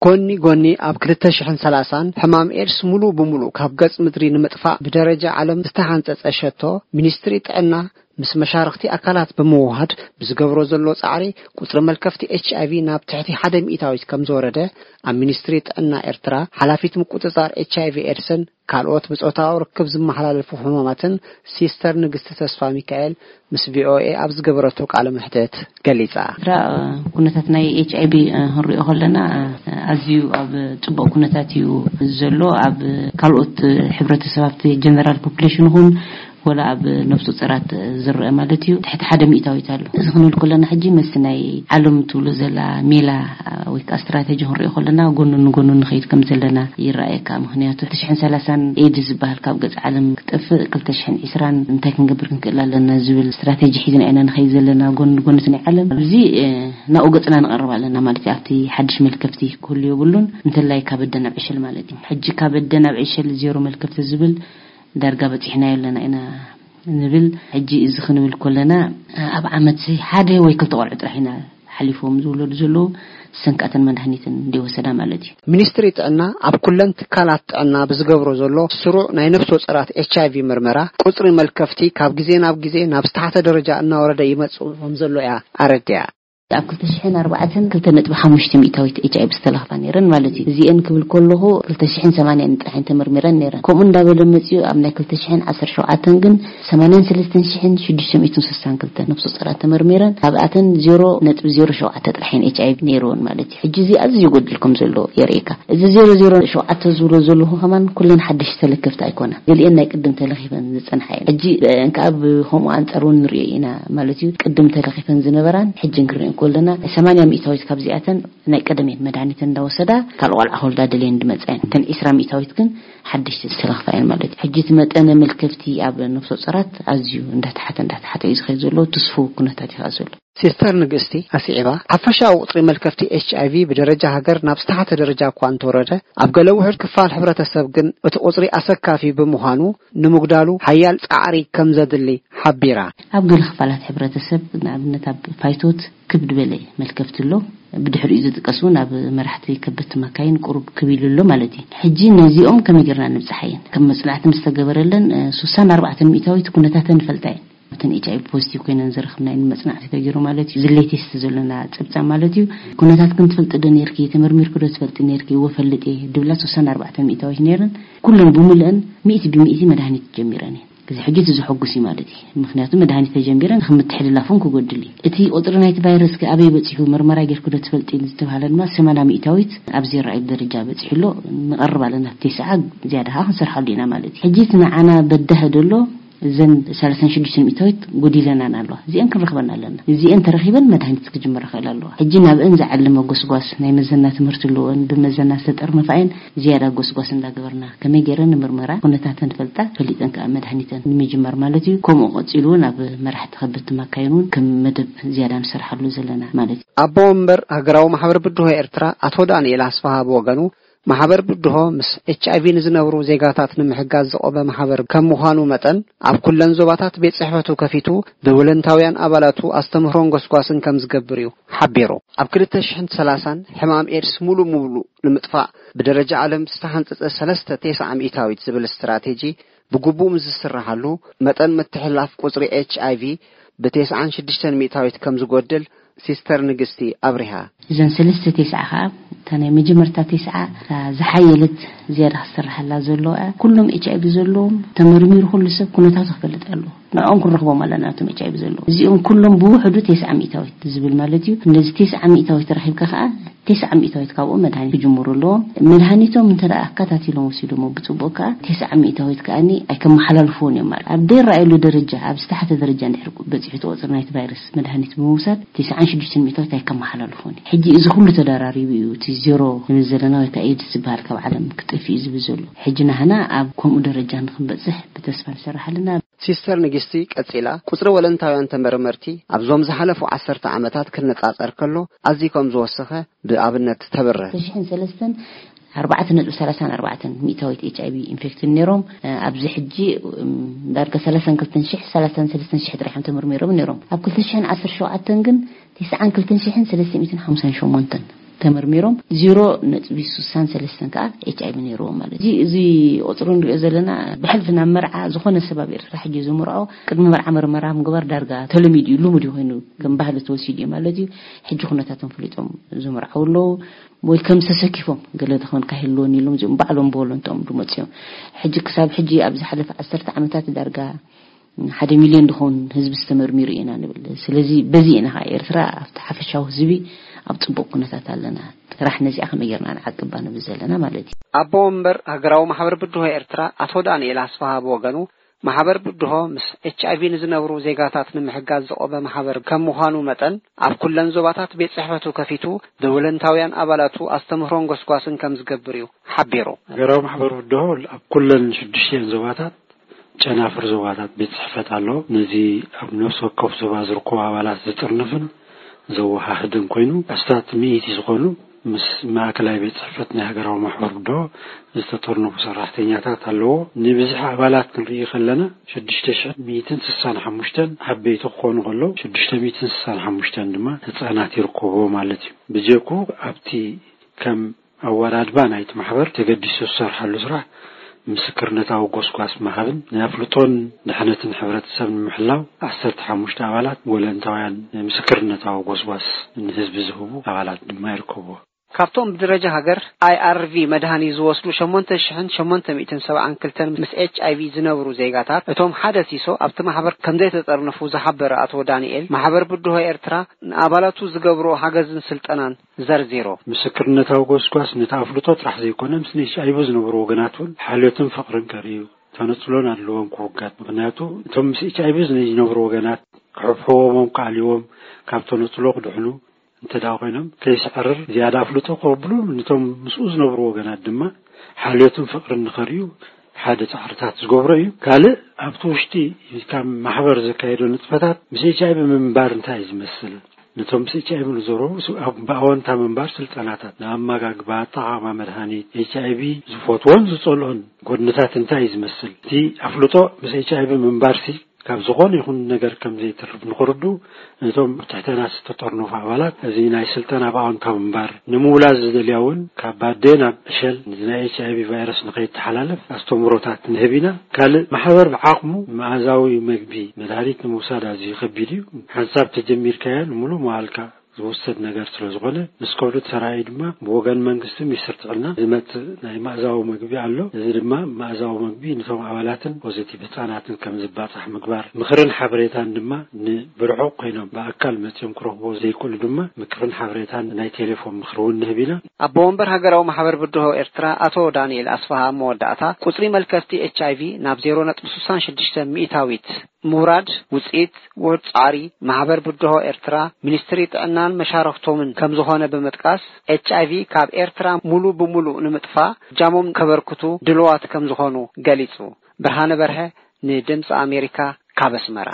ጎኒ ጎኒ ኣብ ክልተ ሽሕን ሰላሳን ሕማም ኤድስ ሙሉ ብሙሉ ካብ ገጽ ምድሪ ንምጥፋእ ብደረጃ ዓለም ዝተሓንጸጸ ሸቶ፣ ሚኒስትሪ ጥዕና ምስ መሻርኽቲ ኣካላት ብምውሃድ ብዝገብሮ ዘሎ ጻዕሪ፣ ቁጽሪ መልከፍቲ ኤች ኣይ ቪ ናብ ትሕቲ ሓደ ሚእታዊት ከም ዝወረደ ኣብ ሚኒስትሪ ጥዕና ኤርትራ ሓላፊት ምቁጽጻር ኤች ኣይ ቪ ኤድስን ካልኦት ብጾታዊ ርክብ ዝመሓላለፉ ሕማማትን ሲስተር ንግስቲ ተስፋ ሚካኤል ምስ ቪ ኦ ኤ ኣብ ዝገበረቶ ቃለ መሕትት ገሊጻ። ኤርትራ፣ ኩነታት ናይ ኤች ኣይ ቪ ክንሪኦ ከለና፣ ኣዝዩ ኣብ ጽቡቕ ኩነታት እዩ ዘሎ። ኣብ ካልኦት ሕብረተሰብ፣ ኣብቲ ጀነራል ፖፑሌሽን ይኹን ወላ ኣብ ነፍሰ ጾራት ዝረአ ማለት እዩ፣ ትሕቲ ሓደ ሚእታዊት ኣሎ። እዚ ክንብል ከለና፣ ሕጂ ምስ ናይ ዓለም ትብሎ ዘላ ሜላ ወይ ከዓ ስትራቴጂ ክንሪኦ ከለና፣ ጎኑ ንጎኑ ንኸይድ ከም ዘለና ይረኣየካ። ምኽንያቱ፣ ትሽሕን ሰላሳን ኤድስ ዝበሃል ካብ ገጽ ዓለም ክጠፍእ፣ ክልተ ሽሕን ዕስራን እንታይ ክንገብር ክንክእል ኣለና ዝብል ስትራቴጂ ሒዝና ኢና ንኸይድ ዘለና፣ ጎኑ ንጎኑ እቲ ናይ ዓለም። ኣብዚ፣ እ፣ ናብኡ ገጽና ንቐርብ ኣለና ማለት እዩ። ኣብቲ ሓድሽ መልከፍቲ ክህሉ የብሉን፣ እንተላይ ካብ ኣደ ናብ ዕሸል ማለት እዩ። ሕጂ ካብ ኣደ ናብ ዕሸል ዜሮ መልከፍቲ ዝብል ዳርጋ በጺሕናዮ ኣለና ኢና ንብል። ሕጂ እዚ ክንብል ከለና፣ ኣብ ዓመት ሓደ ወይ ክልተ ቆልዑ ጥራሕ ኢና ሓሊፎም ዝውለዱ ዘለዉ፣ ሰንካተን መድሃኒትን እንዲወሰዳ ማለት እዩ። ሚኒስትሪ ጥዕና ኣብ ኩለን ትካላት ጥዕና ብዝገብሮ ዘሎ ስሩዕ ናይ ነፍሰ ጾራት ኤች ኣይ ቪ ምርመራ፣ ቁጽሪ መልከፍቲ ካብ ግዜ ናብ ግዜ ናብ ዝተሓተ ደረጃ እናወረደ ይመጽእ ከም ዘሎ እያ ኣረዲኣ። ኣብ ክልተ ሽሕን ኣርባዕተን ክልተ ነጥቢ ሓሙሽተ ሚእታዊት ኤች ኣይ ቪ ዝተለኽፋ ነይረን ማለት እዩ። እዚኤን ክብል ከለኹ ክልተ ሽሕን ሰማንያን ጥራሕ እየን ተመርሚረን ነይረን። ከምኡ እንዳበለ መጺኡ ኣብ ናይ ክልተ ሽሕን ዓሰርተ ሸውዓተን ግን ሰማንያን ሰለስተን ሽሕን ሽዱሽተ ሚእትን ስሳን ክልተን ነፍሰ ጾራት ተመርሚረን፣ ካብኣተን ዜሮ ነጥቢ ዜሮ ሸውዓተ ጥራሕ እየን ኤች ኣይ ቪ ነይርወን ማለት እዩ። ሕጂ እዚ ኣዝዩ ይጎድል ከም ዘሎ የርእየካ። እዚ ዜሮ ዜሮ ሸውዓተ ዝብሎ ዘለኹ ከማን ኩለን ሓደሽቲ ተለከፍቲ ኣይኮናን። ገሊኤን ናይ ቅድም ተለኺፈን ዝጸንሓ እየን። ሕጂ እንከኣ ብኸምኡ ኣንጻር እውን ንሪኦ ኢና ማለት እዩ። ቅድም ተለኺፈን ዝነበራን ሕጂ ክንሪኦ ከለና ሰማንያ ሚእታዊት ካብዚኣተን ናይ ቀደም እየን መድሃኒት እንዳወሰዳ ካልእ ቆልዓ ክወልዳ ደልየን ዝመጻ እየን። እተን ዕስራ ሚእታዊት ግን ሓደሽቲ ዝተለኽፋ እየን ማለት እዩ። ሕጂ እቲ መጠነ መልከፍቲ ኣብ ነፍሰ ጾራት ኣዝዩ እንዳተሓተ እንዳተሓተ እዩ ዝኸይድ ዘሎ። ትስፉው ኩነታት እዩ ከኣ ዘሎ። ሲስተር ንግስቲ ኣስዒባ፣ ሓፈሻዊ ቁጽሪ መልከፍቲ ኤች ኣይ ቪ ብደረጃ ሃገር ናብ ዝተሓተ ደረጃ እኳ እንተወረደ፣ ኣብ ገለ ውሑድ ክፋል ሕብረተሰብ ግን እቲ ቁጽሪ ኣሰካፊ ብምዃኑ ንምጉዳሉ ሓያል ጻዕሪ ከም ዘድሊ ሓቢራ። ኣብ ገለ ክፋላት ሕብረተሰብ፣ ንኣብነት ኣብ ፋይቶት፣ ክብ ዝበለ መልከፍቲ ኣሎ። ብድሕሪኡ ዝጥቀስ እውን ኣብ መራሕቲ ከበድቲ መካይን ቁሩብ ክብ ኢሉ ኣሎ ማለት እዩ። ሕጂ ነዚኦም ከመይ ጌርና ንብጽሓየን? ከም መጽናዕቲ ምስ ተገበረለን፣ እ፣ ስሳን ኣርባዕተን ሚእታዊት ኩነታተን ንፈልጣ እየን። እተን ኤች ኣይ ቪ ፖዚቲቭ ኮይነን ዝረኽብናየን መጽናዕቲ ተገይሩ ማለት እዩ። እዚ ሌቴስት ዘሎና ጸብጻብ ማለት እዩ። ኩነታትክን ትፈልጢ ዶ ነይርኪ? ተመርሚርኪ ዶ ትፈልጢ ነይርኪ? እወ፣ እፈልጥ እየ ድብላ ስሳን ኣርባዕተን ሚእታዊት ነይረን። ኩለን ብምልአን ሚእቲ ብሚእቲ መድሃኒት ጀሚረን እየን። እዚ ሕጂ እቲ ዘሐጉስ እዩ ማለት እዩ። ምኽንያቱ መድሃኒት ተጀሚረን፣ ከም ምትሕልላፉን ክጎድል እዩ። እቲ ቁጽሪ ናይቲ ቫይረስ ከ ኣበይ በጺሑ፣ መርመራ ጌርኪ ዶ ትፈልጢ ዝተባህለ ድማ ሰማንያ ሚእታዊት ኣብ ዘይረኣየሉ ደረጃ በጺሑ ኣሎ። ንቐርብ ኣለና፣ ኣብቲ ተስዓ ዝያዳ ኸዓ ክንሰርሓሉ ኢና ማለት እዩ። ሕጂ እቲ ንዓና በዳሂ ዘሎ፣ እዘን ሰላሳን ሽዱሽተን ሚእታዊት ጎዲለናን ኣለዋ። እዚአን ክንረኽበን ኣለና። እዚአን ተረኺበን መድሃኒት ክጅምራ ክእል ኣለዋ። ሕጂ ናብአን ዝዓለመ ጎስጓስ፣ ናይ መዘና ትምህርቲ ኣለወን፣ ብመዘና ዝተጠርነፋ እየን። ዝያዳ ጎስጓስ እንዳገበርና፣ ከመይ ገይረን ንምርመራ ኩነታተን ፈልጣ፣ ፈሊጠን ከኣ መድሃኒተን ንምጅማር ማለት እዩ። ከምኡ ቀጺሉ እውን ኣብ መራሕቲ ከበድቲ መካይን እውን ከም መደብ ዝያዳ ንሰርሓሉ ዘለና ማለት እዩ። ኣቦ ወንበር ሃገራዊ ማሕበር ብድሆ ኤርትራ ኣቶ ዳንኤል ኣስፍሃ ብወገኑ፣ ማሕበር ብድሆ ምስ ኤች ኣይ ቪ ንዝነብሩ ዜጋታት ንምሕጋዝ ዝቆመ ማሕበር ከም ምዃኑ መጠን፣ ኣብ ኩለን ዞባታት ቤት ጽሕፈቱ ከፊቱ ብወለንታውያን ኣባላቱ ኣስተምህሮን ጎስጓስን ከም ዝገብር እዩ ሓቢሩ። ኣብ ክልተ ሽሕን ሰላሳን ሕማም ኤድስ ሙሉ ሙሉ ንምጥፋእ ብደረጃ ዓለም ዝተሓንጸጸ ሰለስተ ተስዓ ሚእታዊት ዝብል ስትራቴጂ ብግቡእ ምስ ዝስራሓሉ፣ መጠን ምትሕልላፍ ቁጽሪ ኤች ኣይ ቪ ብተስዓን ሽዱሽተን ሚእታዊት ከም ዝጎድል ሲስተር ንግስቲ ኣብሪሃ። እዘን ሰለስተ ተስዓ ኸኣ፣ እታ ናይ መጀመርታ ተስዓ፣ እታ ዝሓየለት ዝያዳ ክስራሓላ ዘለዎ እያ። ኩሎም ኤች ኣይ ቪ ዘለዎም ተመርሚሩ ኩሉ ሰብ ኩነታቱ ክፈልጥ ኣለዎ። ንዕኦም ክንረኽቦም ኣለና፣ እቶም ኤች ኣይ ቪ ዘለዎም። እዚኦም ኩሎም ብውሕዱ ተስዓ ሚእታዊት ዝብል ማለት እዩ። ነዚ ተስዓ ሚእታዊት ረኺብካ ኸኣ፣ ተስዓ ሚእታዊት ካብኡ መድሃኒት ክጅምሩ ኣለዎም። መድሃኒቶም እንተ ደኣ ኣከታቲሎም ወሲዶሞ ብጽቡቕ ከኣ፣ ተስዓ ሚእታዊት ከኣኒ ኣይከመሓላልፍዎን እዮም ማለት። ኣብ ዘይረኣየሉ ደረጃ፣ ኣብ ዝተሓተ ደረጃ እንድሕር በጺሑ እቲ ቁጽሪ ናይቲ ቫይረስ መድሃኒት ብምውሳድ፣ ተስዓን ሽዱሽተን ሚእታዊት ኣይከመሓላልፍዎን እዩ። ሕጂ እዚ ኩሉ ተደራሪቡ እዩ እቲ ዜሮ ክንብል ዘለና ወይ ከኣ ኤድስ ዝበሃል ካብ ዓለም ክጠፍእ እዩ ዝብል ዘሎ። ሕጂ ናህና ኣብ ከምኡ ደረጃ ንክንበጽሕ ብተስፋ ንሰርሕ ኣለና። ሲስተር ንግስቲ ቀጺላ፣ ቁጽሪ ወለንታውያን ተመርመርቲ ኣብዞም ዝሓለፉ ዓሰርተ ዓመታት ክነጻጸር ከሎ ኣዝዩ ከም ዝወሰኸ ብኣብነት ተብርህ። ክልተ ሽሕን ሰለስተን ኣርባዕተ ነጥቢ ሰላሳን ኣርባዕተን ሚእታዊት ኤች ኣይ ቪ ኢንፌክትድ ነይሮም። ኣብዚ ሕጂ፣ እም፣ ዳርጋ ሰላሳን ክልተን ሽሕ፣ ሰላሳን ሰለስተን ሽሕ ጥራሕ እዮም ተመርሚሮም ነይሮም። ኣብ ክልተ ሽሕን ዓሰርተ ሸውዓተን ግን ተስዓን ክልተን ሽሕን ሰለስተ ሚእትን ሓምሳን ሸሞንተን ተመርሚሮም ዜሮ ነጥቢ ስሳን ሰለስተን ከዓ ኤች ኣይ ቪ ነይርዎም ማለት እዩ። እዚ ቁፅሪ ንሪኦ ዘለና ብሕልፊ ናብ መርዓ ዝኾነ ሰብ ኣብ ኤርትራ ሕጂ ዝምርዖ ቅድሚ መርዓ መርመራ ምግባር ዳርጋ ተለሚዱ እዩ፣ ልሙድ ኮይኑ ከም ባህሊ ተወሲዱ እዩ ማለት እዩ። ሕጂ ኩነታቶም ፈሊጦም ዝምርዓው ኣለዉ ወይ ከም ተሰኪፎም ገለ ተኾን ካሂልዎን ኢሎም እዚኦም ባዕሎም ብወለንቶም ዝመፅኡ እዮም። ሕጂ ክሳብ ሕጂ ኣብ ዝሓለፈ ዓሰርተ ዓመታት ዳርጋ ሓደ ሚልዮን ድኾን ህዝቢ ዝተመርሚሩ ኢና ንብል። ስለዚ በዚ ኢና ከዓ ኤርትራ ኣብቲ ሓፈሻዊ ህዝቢ ኣብ ፅቡቅ ኩነታት ኣለና። ጥራሕ ነዚኣ ከመይ ጌርና ንዓቅባ ንብል ዘለና ማለት እዩ። ኣቦ ወንበር ሃገራዊ ማሕበር ብድሆ ኤርትራ ኣቶ ዳንኤል ኣስፍሃ ብወገኑ፣ ማሕበር ብድሆ ምስ ኤች ኣይ ቪ ንዝነብሩ ዜጋታት ንምሕጋዝ ዝቆመ ማሕበር ከም ምዃኑ መጠን፣ ኣብ ኩለን ዞባታት ቤት ጽሕፈቱ ከፊቱ ንወለንታውያን ኣባላቱ ኣስተምህሮን ጎስጓስን ከም ዝገብር እዩ ሓቢሩ። ሃገራዊ ማሕበር ብድሆ ኣብ ኩለን ሽዱሽተን ዞባታት ጨናፍር ዞባታት ቤት ጽሕፈት ኣሎ። ነዚ ኣብ ነፍሲ ወከፍ ዞባ ዝርከቡ ኣባላት ዝጥርንፍን ዘወሃህድን ኮይኑ፣ ኣስታት ሚእቲ ዝኾኑ ምስ ማእከላይ ቤት ጽሕፈት ናይ ሃገራዊ ማሕበር ብድሆ ዝተጠርነፉ ሰራሕተኛታት ኣለዎ። ንብዝሒ ኣባላት ክንርኢ ከለና፣ ሽዱሽተ ሽሕ ሚእትን ስሳን ሓሙሽተን ዓበይቲ ክኾኑ ከለዉ፣ ሽዱሽተ ሚእትን ስሳን ሓሙሽተን ድማ ህጻናት ይርከብዎ ማለት እዩ። ብጀኩ ኣብቲ ከም ኣወዳድባ ናይቲ ማሕበር ተገዲሱ ዝሰርሓሉ ስራሕ ምስክርነታዊ ጎስጓስ ምሃብን ናይ ኣፍልጦን ድሕነትን ሕብረተሰብ ንምሕላው ዓሰርተ ሓሙሽተ ኣባላት ወለንታውያን ምስክርነታዊ ጎስጓስ ንህዝቢ ዝህቡ ኣባላት ድማ ይርከብዎ። ካብቶም ብደረጃ ሃገር ኣይ ኣር ቪ መድሃኒ ዝወስዱ ሸሞንተ ሽሕን ሸሞንተ ሚእትን ሰብዓን ክልተን ምስ ኤች ኣይ ቪ ዝነብሩ ዜጋታት፣ እቶም ሓደ ሲሶ ኣብቲ ማሕበር ከም ዘይተጠርነፉ ዝሓበረ ኣቶ ዳንኤል፣ ማሕበር ብድሆ ኤርትራ ንኣባላቱ ዝገብሮ ሓገዝን ስልጠናን ዘርዚሩ። ምስክርነታዊ ጎስጓስ ነቲ ኣፍልጦ ጥራሕ ዘይኮነ፣ ምስ ኤች ኣይ ቪ ዝነብሩ ወገናት እውን ሓልዮትን ፍቕርን ከርእዩ፣ ተነጽሎን ኣድልዎን ክውገድ። ምኽንያቱ እቶም ምስ ኤች ኣይ ቪ ዝነብሩ ወገናት ክሕብሕቦም፣ ክኣልይዎም፣ ካብ ተነጽሎ ክድሕኑ እንተ ደኣ ኮይኖም፣ ከይስዕርር ዝያዳ ኣፍልጦ ክቕብሉ፣ ነቶም ምስኡ ዝነብሩ ወገናት ድማ ሓልዮትን ፍቕርን ንኸርእዩ ሓደ ጻዕርታት ዝገብሮ እዩ። ካልእ ኣብቲ ውሽጢ ካብ ማሕበር ዘካየዶ ንጥፈታት ምስ ኤች ኣይ ቪ ምንባር እንታይ እዩ ዝመስል? ነቶም ምስ ኤች ኣይ ቪ ንዘረቡ ስ-፣ ኣብ ብኣወንታ ምንባር ስልጠናታት፣ ንኣመጋግባ፣ ኣጠቓቕማ መድሃኒት፣ ኤች ኣይ ቪ ዝፈትዎን ዝጸልኦን ጎድንታት እንታይ እዩ ዝመስል? እቲ ኣፍልጦ ምስ ኤች ኣይ ቪ ምንባርሲ ካብ ዝኾነ ይኹን ነገር ከም ዘይተርፍ ንኽርድኡ፣ ነቶም ኣብ ትሕተና ዝተጠርነፉ ኣባላት እዚ ናይ ስልጠና ብኣወንታ ምንባር ንምውላዝ ዝደልያ እውን ካብ ኣደ ናብ ዕሸል እዚ ናይ ኤች ኣይ ቪ ቫይረስ ንኸይተሓላለፍ ኣስተምህሮታት ንህብ ኢና። ካልእ ማሕበር ብዓቕሙ መኣዛዊ መግቢ መድሃኒት ንምውሳድ ኣዝዩ ከቢድ እዩ። ሓንሳብ ተጀሚርካዮ ንምሉእ መዋልካ ዝውሰድ ነገር ስለ ዝኾነ፣ ምስ ከብዱ ተራእዩ ድማ ብወገን መንግስቲ ሚኒስትሪ ጥዕና ዝመጽእ ናይ መኣዛዊ መግቢ ኣሎ። እዚ ድማ መኣዛዊ መግቢ ነቶም ኣባላትን ፖዚቲቭ ህጻናትን ከም ዝባጻሕ ምግባር፣ ምኽርን ሓበሬታን ድማ ንብርሑቕ ኮይኖም ብኣካል መጺኦም ክረኽቦ ዘይክእሉ ድማ ምክርን ሓበሬታን ናይ ቴሌፎን ምኽሪ እውን ንህብ ኢና። ኣቦ ወንበር ሃገራዊ ማሕበር ብድሆ ኤርትራ ኣቶ ዳንኤል ኣስፍሃ ኣብ መወዳእታ፣ ቁጽሪ መልከፍቲ ኤች ኣይ ቪ ናብ ዜሮ ነጥቢ ስሳን ሽዱሽተ ሚእታዊት ምውራድ ውጽኢት ውሑድ ጻዕሪ ማሕበር ብድሆ ኤርትራ፣ ሚኒስትሪ ጥዕናን መሻርኽቶምን ከም ዝኾነ ብምጥቃስ፣ ኤች ኣይ ቪ ካብ ኤርትራ ሙሉ ብሙሉ ንምጥፋእ እጃሞም ከበርክቱ ድልዋት ከም ዝኾኑ ገሊጹ። ብርሃነ በርሀ ንድምጺ ኣሜሪካ ካብ ኣስመራ።